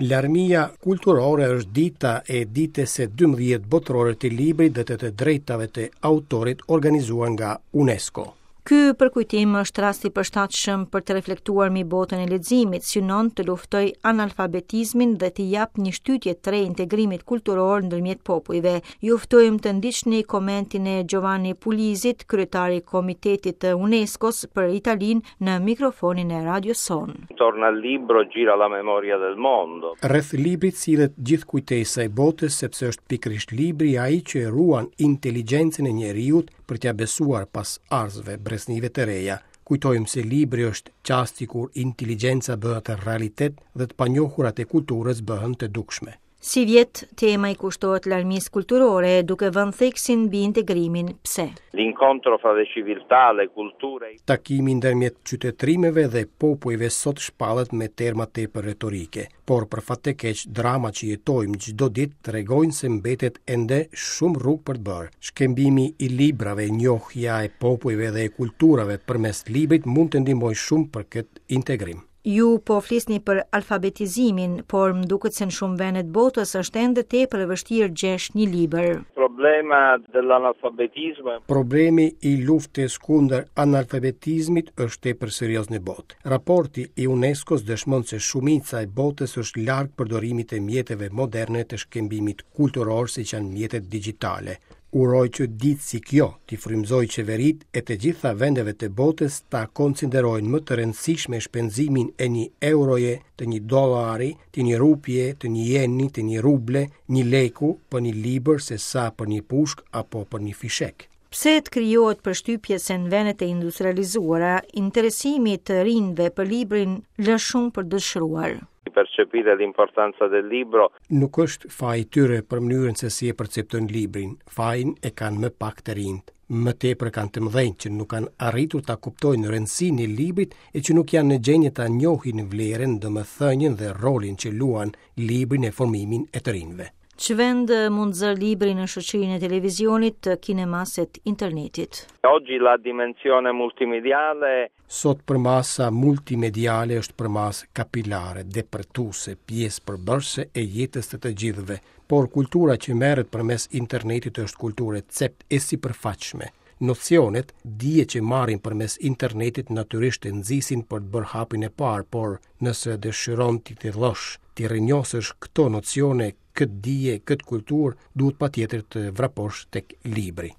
Larmia kulturore është dita e ditës së 12 botërore të librit dhe të të drejtave të autorit organizuar nga UNESCO. Ky përkujtim është rast i përshtatshëm për të reflektuar mbi botën e leximit, synon të luftojë analfabetizmin dhe të japë një shtytje të re integrimit kulturor ndërmjet popujve. Ju ftojmë të ndiqni komentin e Giovanni Pugliesit, kryetar i Komitetit të UNESCO-s për Italinë në mikrofonin e radios sonë. Intorno al libro gira la memoria del mondo. Rreth librit sillet gjithë kujtesa e botës sepse është pikërisht libri ai që ruan inteligjencën e njeriut për t'ia besuar pasardhësve, breznive të reja. Kujtojmë se libri është çasti kur inteligjenca bëhet realitet dhe të panjohurat e kulturës bëhen të dukshme. Sivjet, tema i kushtohet larmisë kulturore, duke vënë theksin mbi integrimin. Pse? L'incontro fra le civiltà, le culture. Takimi ndërmjet qytetërimeve dhe popujve sot shpallet me terma tepër retorike. Por për fat të keq, drama që jetojmë çdo ditë tregojnë se mbetet ende shumë rrugë për të bërë. Shkëmbimi i librave, njohja e popujve dhe e kulturave përmes librit mund të ndihmojë shumë për këtë integrim. Ju po flisni për alfabetizimin, por më duket se në shumë vende të botës është ende tepër e vështirë gjesh një libër. Problema dell'analfabetismo. Problemi i luftës kundër analfabetizmit është tepër serioz në botë. Raporti i UNESCO-s dëshmon se shumica e botës është larg përdorimit të mjeteve moderne të shkëmbimit kulturor siç janë mjetet digjitale. Uroj që ditë si kjo t'i frymëzojë qeveritë e të gjitha vendeve të botës ta konsiderojnë më të rëndësishme shpenzimin e një euroje, të një dollari, të një rupie, të një jeni, të një ruble, një leku për një libër se sa për një pushkë apo për një fishek. Pse të krijohet përshtypje se në vendet e industrializuara, interesimi i të rinjve për librin lë shumë për dëshiruar? Percepire l'importanza del libro. Nuk është faji i tyre për mënyrën se si e perceptojnë librin. Fajin e kanë më pak të rinjtë. Më tepër kanë të mëdhenjtë që nuk kanë arritur ta kuptojnë rëndësinë e librit e që nuk janë në gjendje ta njohin vlerën, domethënien dhe rolin që luan libri në formimin e të rinjve. Ç'vend mund të zërë libri në shoqërinë e televizionit, të kinemasë e të internetit? Oggi la dimensione multimediale Sot përmasa multimediale është përmasë kapilare, depërtuese, pjesë përbërëse e jetës të të gjithëve, por kultura që merret përmes internetit është kulturë e ceptë e sipërfaqshme. Nocionet, dije që marrin përmes internetit natyrisht të nxisin për të bërë hapin e parë, por nëse dëshiron t'i thellosh, t'i rrënjosësh këto nocione, këtë dije, këtë kulturë, duhet patjetër të vraposh tek libri.